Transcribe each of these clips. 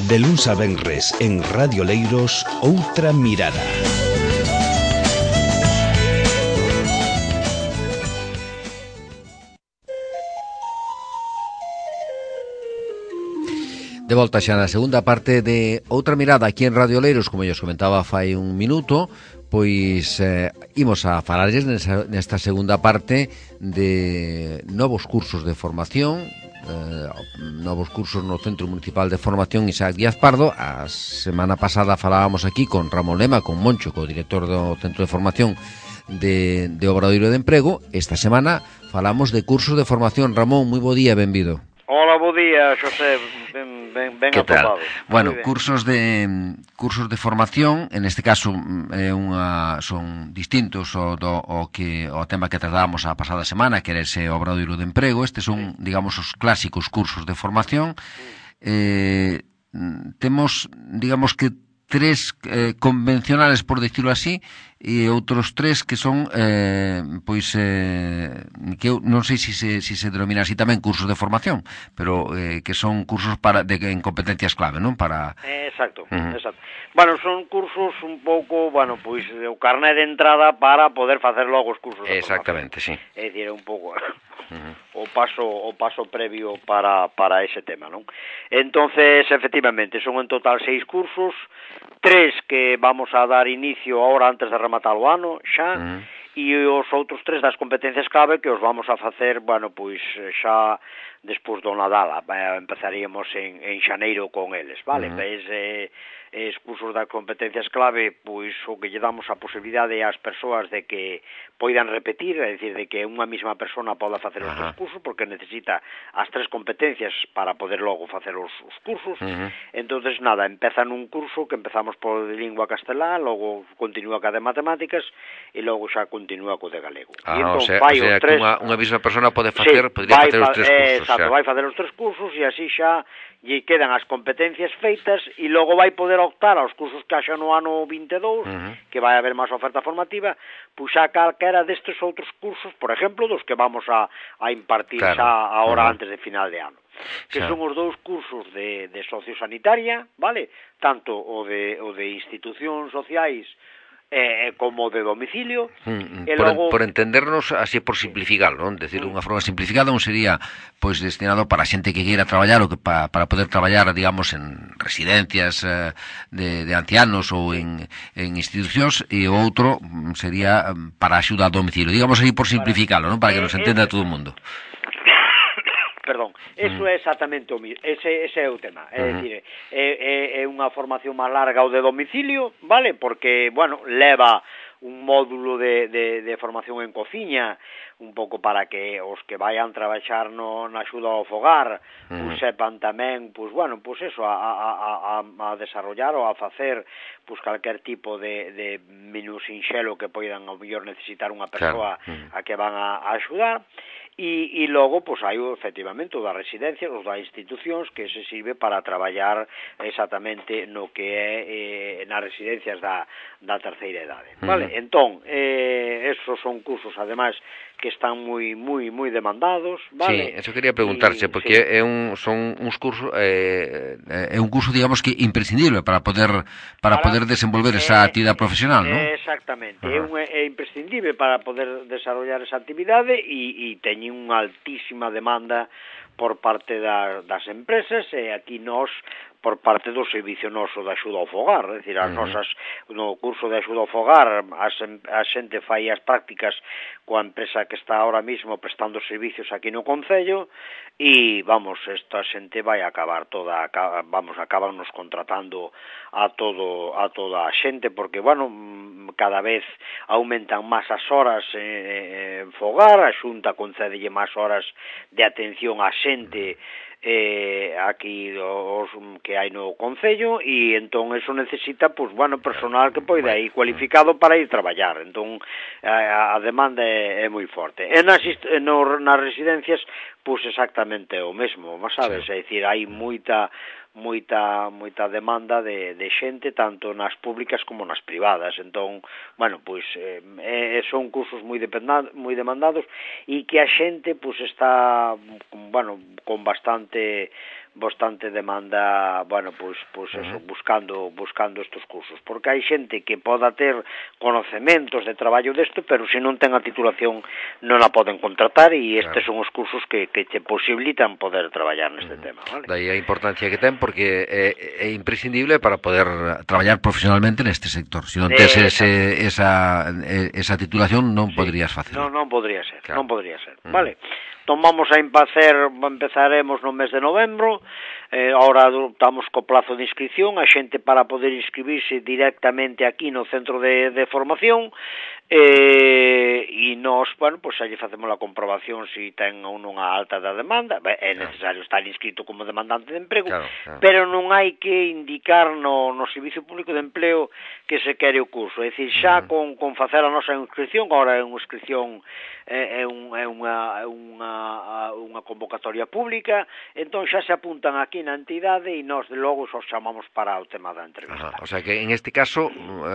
De luns a venres en Radio Leiros, Outra Mirada. De volta xa na segunda parte de Outra Mirada aquí en Radio Leiros, como eu comentaba fai un minuto, pois imos a falarles nesta segunda parte de novos cursos de formación, novos cursos no Centro Municipal de Formación Isaac Díaz Pardo. A semana pasada falábamos aquí con Ramón Lema, con Moncho, co director do Centro de Formación de Obradoiro de Emprego. Esta semana falamos de cursos de formación. Ramón, moi bo día, benvido. Hola, bo día, Xosé, ben atopado. Bueno, cursos de formación, en este caso son distintos ao tema que tratábamos a pasada semana, que era ese Obradoiro de Emprego. Estes son, digamos, os clásicos cursos de formación. Temos, digamos que tres convencionales, por decirlo así, e outros tres que son que eu non sei se se denomina así tamén cursos de formación, pero que son cursos en competencias clave, non? Exacto, exacto. Bueno, son cursos un pouco, pois o carné de entrada para poder facer logo os cursos de formación. Exactamente, sí. É dicir, un pouco o paso previo para ese tema, non? Entonces, efectivamente, son en total 6 cursos, 3 que vamos a dar inicio ahora antes de rematar o ano, xa, e os outros 3 das competencias clave que os vamos a facer, pois xa despois do Nadal. Empezaríamos en xaneiro con eles, vale? Es cursos das competencias clave, pois o que lle damos a posibilidade ás persoas de que poidan repetir, é dicir, de que unha mesma persona poda facer os 3 cursos, porque necesita as 3 competencias para poder logo facer os cursos. Entonces, nada, empeza nun curso que empezamos por de lingua castelá, logo continúa ca de matemáticas e logo xa continúa co de galego. O sea que unha mesma persona podría facer os 3 cursos. Exacto, vai facer os 3 cursos e así xa lle quedan as competencias feitas e logo vai poder optar aos cursos que haxa no ano 22, que vai haber máis oferta formativa, pois xa calquera destes outros cursos, por exemplo, dos que vamos a impartir xa ahora antes de final de ano, que son os 2 cursos de sociosanitaria, vale? Tanto o de institucións sociais como de domicilio. Por entendernos así, por simplificarlo, non? Decir, unha forma simplificada non sería pois destinado para a xente que queira traballar ou que para poder traballar, digamos, en residencias de ancianos ou en institucións, e o outro sería para axuda a domicilio, digamos así, por simplificarlo, non? Para que nos entenda todo o mundo. Perdón, eso é exactamente o mismo, ese é o tema, é dicir, é unha formación máis larga o de domicilio, vale? Porque, leva un módulo de formación en cociña, un pouco para que os que vayan traballar na axuda ao fogar, pois sepan tamén, pois eso, a desarrollar ou a facer pois calquer tipo de menú sinxelo que poidan ao mellor necesitar unha persoa a que van a axudar. E logo, pois, hai efectivamente o da residencia, os da institucións, que se sirve para traballar exactamente no que é nas residencias da terceira idade, vale? Entón, esos son cursos, ademais, que están moi demandados, vale? Sí, eso quería preguntarse, porque son uns cursos, é un curso, digamos, que imprescindible para poder desenvolver esa actividade profesional, non? Exactamente, é imprescindible para poder desarrollar esa actividade e teñen unha altísima demanda por parte das empresas, e aquí nós por parte do servicio noso de axuda ao fogar, é dicir, as nosas, no curso de axuda ao fogar, a xente fai as prácticas coa empresa que está ahora mismo prestando servicios aquí no concello, e, esta xente vai acabar acabarnos contratando a toda a xente, porque, cada vez aumentan máis as horas en fogar, a Xunta concedelle máis horas de atención á xente aquí os que hai no concello, e entón eso necesita personal que poida ir cualificado para ir traballar. Entón a demanda é moi forte. E nas residencias pois exactamente o mesmo, sabes? É dicir, hai moita demanda de xente, tanto nas públicas como nas privadas. Entón, son cursos moi demandados, e que a xente está con bastante bastante demanda, bueno, pois eso, buscando estes cursos, porque hai xente que poda ter conocementos de traballo desto, pero se non ten a titulación non a poden contratar, e estes son os cursos que te posibilitan poder traballar neste tema, vale? Daí a importancia que ten, porque é imprescindible para poder traballar profesionalmente neste sector. Se non tes esa titulación non poderías facelo. Non podría ser, claro. Non podría ser, vale? Entón empezaremos no mes de novembro, ahora estamos co plazo de inscripción, a xente para poder inscribirse directamente aquí no centro de formación, e nós, bueno, pois xa lle facemos a comprobación se ten ou non a alta da demanda. É necesario estar inscrito como demandante de emprego, pero non hai que indicar no Servicio Público de Empleo que se quere o curso, é dicir, xa con facer a nosa inscripción, agora é unha inscripción, é unha convocatoria pública, entón xa se apuntan aquí na entidade e nós de logo os chamamos para o tema da entrevista. O sea que en este caso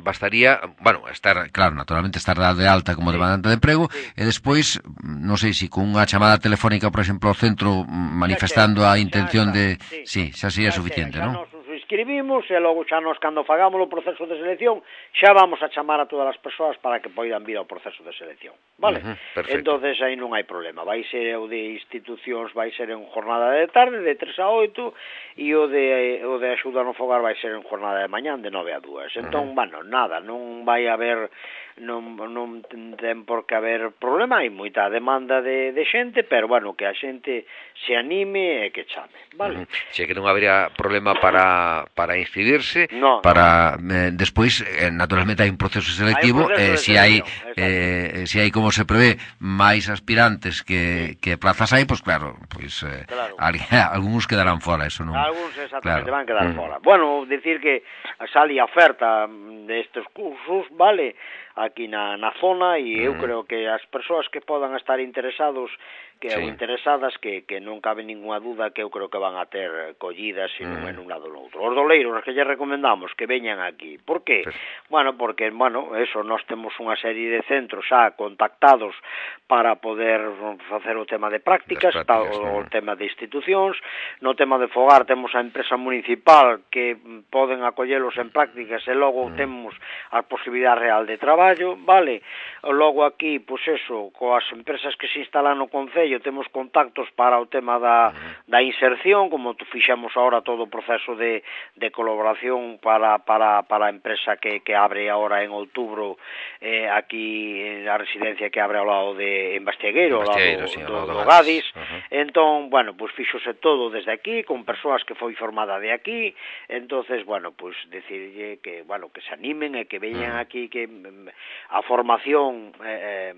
bastaría, bueno, estar, claro, naturalmente estar de alta como demandante de emprego, e despois, non sei se con unha chamada telefónica, por exemplo, ao centro manifestando a intención de... Sí, xa sería suficiente, non? Inscribimos e logo xa nos, cando fagamos o proceso de selección, xa vamos a chamar a todas as persoas para que poidan vir ao proceso de selección, vale? Entonces aí non hai problema, vai ser o de institucións, vai ser en jornada de tarde de 3 a 8, e o de axuda no fogar vai ser en jornada de mañán de 9 a 2. Entón, bueno, nada, non vai haber, non ten por que haber problema, hai moita demanda de xente, pero bueno, que a xente se anime e que chame, vale? Se que non habería problema para inscribirse, para despois naturalmente hai un proceso selectivo, se hai como se prevé máis aspirantes que plazas hai, pois claro, algúns quedarán fora, eso non. Algúns exactamente van quedar fora. Bueno, decir que sale a oferta destes cursos, vale, aquí na zona, e eu creo que as persoas que podan estar interesados ou interesadas, que non cabe ninguna duda que eu creo que van a ter collidas e non en un lado ou outro. Os doleiros que lle recomendamos que veñan aquí. Por qué? Bueno, porque, eso, nós temos unha serie de centros xa contactados para poder facer o tema de prácticas, o tema de institucións, no tema de fogar temos a empresa municipal que poden acollelos en prácticas e logo temos a posibilidade real de traballo, vale? Logo aquí, pois eso, coas empresas que se instalan no Concello temos contactos para o tema da inserción, como fixemos ahora todo o proceso de colaboración para a empresa que abre ahora en outubro aquí a residencia que abre ao lado de Bastiagueiro, ao lado do Gadis. Entón, bueno, pois fixose todo desde aquí, con persoas que foi formada de aquí, entonces, bueno, pois decirlle que, bueno, que se animen e que veñan aquí, que a formación é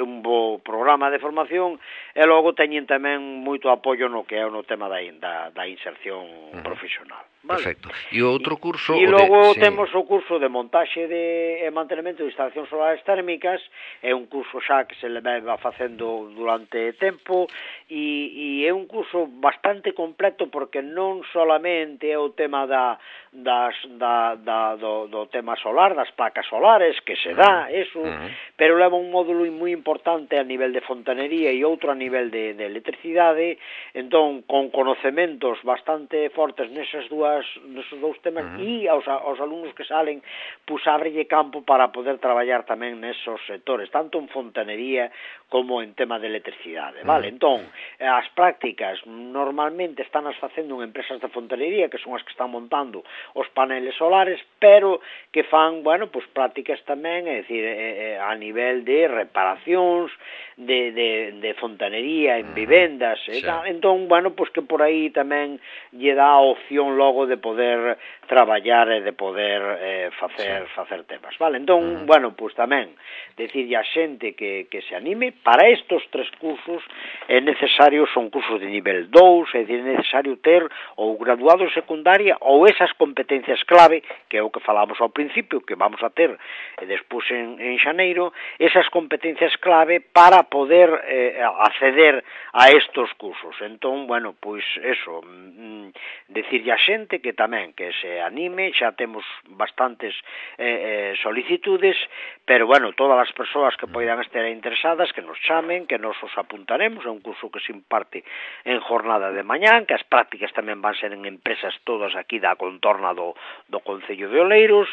un bo programa de formación, e logo teñen tamén moito apoio no que é no tema da inserción profesional. Vale. Perfecto. E o outro curso... E logo temos o curso de montaxe e mantenimento de instalacións solares térmicas, é un curso xa que se le va facendo durante tempo, e é un curso bastante completo, porque non solamente é o tema do tema solar, das placas solares, que se dá, eso, pero leva un módulo moi importante a nivel de fontanería e outro a nivel de electricidade, entón, con conocementos bastante fortes neses dous temas, e aos alumnos que salen, pois ábrelle campo para poder traballar tamén nesos sectores, tanto en fontanería como en tema de electricidade, vale? Entón, as prácticas normalmente están as facendo en empresas de fontanería, que son as que están montando os paneles solares, pero que fan, bueno, pois prácticas tamén, é dicir, a nivel de reparacións, de fontanería en vivendas, entón, bueno, pois que por aí tamén lle dá a opción logo de poder traballar e de poder facer temas, vale? Entón, bueno, pois tamén decirlle a xente que se anime. Para estos 3 cursos é necesario, son cursos de nivel 2, é dicir, é necesario ter ou graduado en secundaria ou esas competencias clave, que é o que falamos ao principio, que vamos a ter despois en xaneiro, esas competencias clave para poder acceder a estos cursos. Entón, bueno, pois eso, decirlle a xente que tamén que se anime, xa temos bastantes solicitudes, pero bueno, todas as persoas que poidan estar interesadas que nos chamen, que nos os apuntaremos, é un curso que se imparte en jornada de mañán, que as prácticas tamén van ser en empresas todas aquí da contorna do Concello de Oleiros,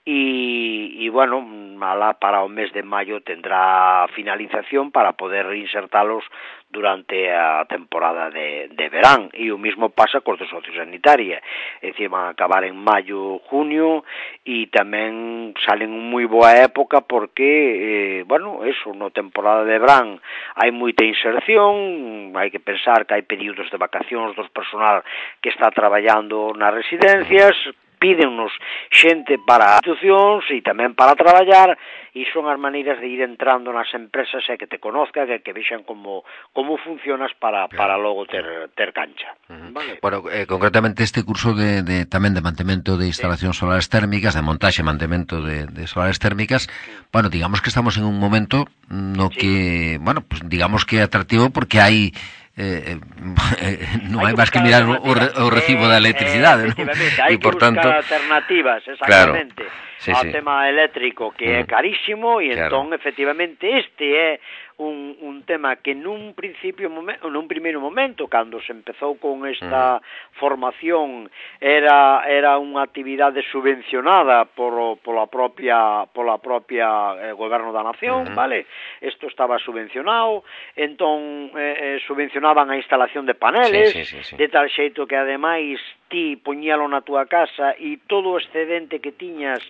e bueno, alá para o mes de maio tendrá finalización para poder reinsertalos durante a temporada de verán, e o mismo pasa cos de sociosanitaria, é dicir, van a acabar en maio, junio, e tamén salen en moi boa época porque, bueno, eso, no temporada de verán hai moita inserción, hai que pensar que hai períodos de vacacións dos personal que está traballando nas residencias, pídennos xente para institucións e tamén para traballar, e son as maneiras de ir entrando nas empresas e que te conozcan, que vexan como funcionas para logo ter cancha. Vale. Bueno, concretamente este curso tamén de mantemento de instalacións solares térmicas, de montaxe e mantemento de solares térmicas, bueno, digamos que estamos en un momento no que, bueno, pues digamos que é atractivo porque hai non hai máis que mirar o recibo da electricidade, non? Hai que buscar alternativas, exactamente, ao tema eléctrico, que é carísimo, e entón, efectivamente, este é un tema que nun primeiro momento, cando se empezou con esta formación, era unha actividade subvencionada pola propia goberno da nación, vale? Isto estaba subvencionado, entón subvencionaban a instalación de paneles, de tal xeito que ademais ti poñíalo na túa casa e todo o excedente que tiñan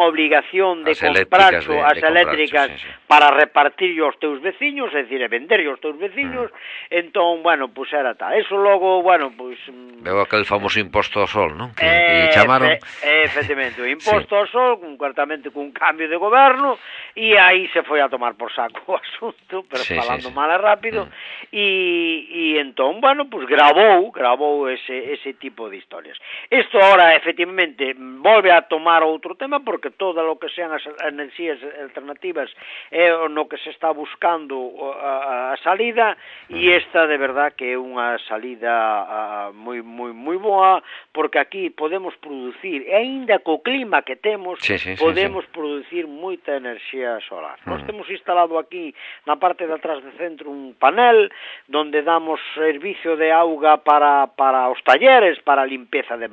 obligación de comprarlo as eléctricas para repartirlo aos teus veciños, é dicir, venderlo aos teus veciños, entón, bueno, pues era tal. Eso logo, bueno, pues... Veo aquel famoso imposto ao sol, non? Que chamaron... Efectivamente, o imposto ao sol, concretamente cun cambio de goberno, e aí se foi a tomar por saco o asunto, pero falando mal e rápido, e entón, bueno, pues gravou ese tipo de historias. Isto ahora, efectivamente, volve a tomar outro tema, porque todo o que sean as enerxías alternativas é no que se está buscando a salida, e esta de verdad que é unha salida moi boa, porque aquí podemos producir, e aínda co clima que temos, podemos producir moita enerxía solar. Nós temos instalado aquí na parte de atrás do centro un panel donde damos servicio de auga para os talleres, para a limpeza de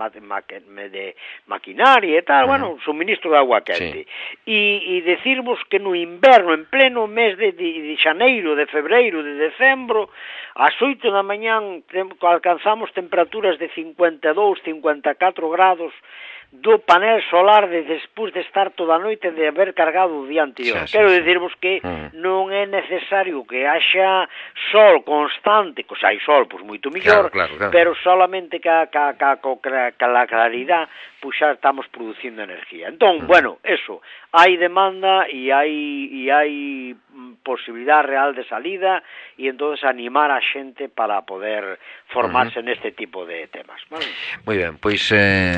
maquinaria e tal, bueno, suministro de agua quente. E decirvos que no inverno, en pleno mes de xaneiro, de febreiro, de decembro, ás 8 da mañán alcanzamos temperaturas de 52, 54 grados do panel solar despois de estar toda a noite de haber cargado o día anterior. Quero dicirvos que non é necesario que haxa sol constante, que hai sol, pois moito mellor, pero solamente que a claridade, pois xa estamos producindo energía. Entón, bueno, eso, hai demanda e hai posibilidad real de salida, e entonces animar a xente para poder formarse neste tipo de temas. Moi ben, pois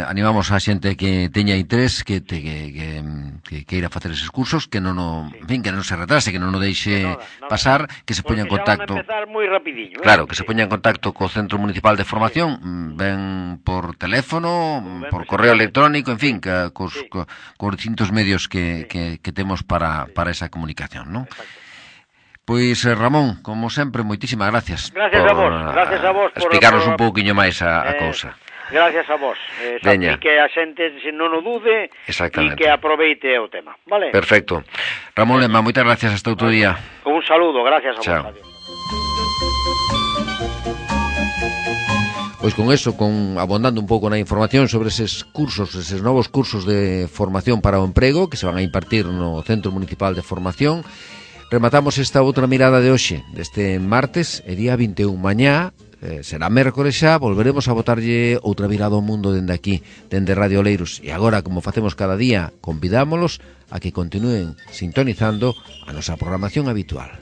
animamos a xente que teña interés, que queira facer eses cursos, que non se retrase, que non o deixe pasar, que se poña en contacto. Porque xa van a empezar moi rapidiño. Claro, que se poña en contacto co Centro Municipal de Formación, ben por teléfono, por correo electrónico, en fin, cos distintos medios que temos para esa comunicación, non? Pois, Ramón, como sempre, moitísimas gracias. Gracias a vos por explicarnos un pouquiño máis a cousa. Gracias a vos. E que a xente non o dude e que aproveite o tema, vale? Perfecto. Ramón Lema, moitas gracias, hasta outro día. Un saludo, gracias a vos. Pois con eso, abondando un pouco na información sobre eses cursos, eses novos cursos de formación para o emprego que se van a impartir no Centro Municipal de Formación, rematamos esta outra mirada de hoxe, deste martes, e día 21. Mañá, será mércores xa, volveremos a botarlle outra virada ao mundo dende aquí, dende Radio Oleiros. E agora, como facemos cada día, convidámolos a que continúen sintonizando a nosa programación habitual.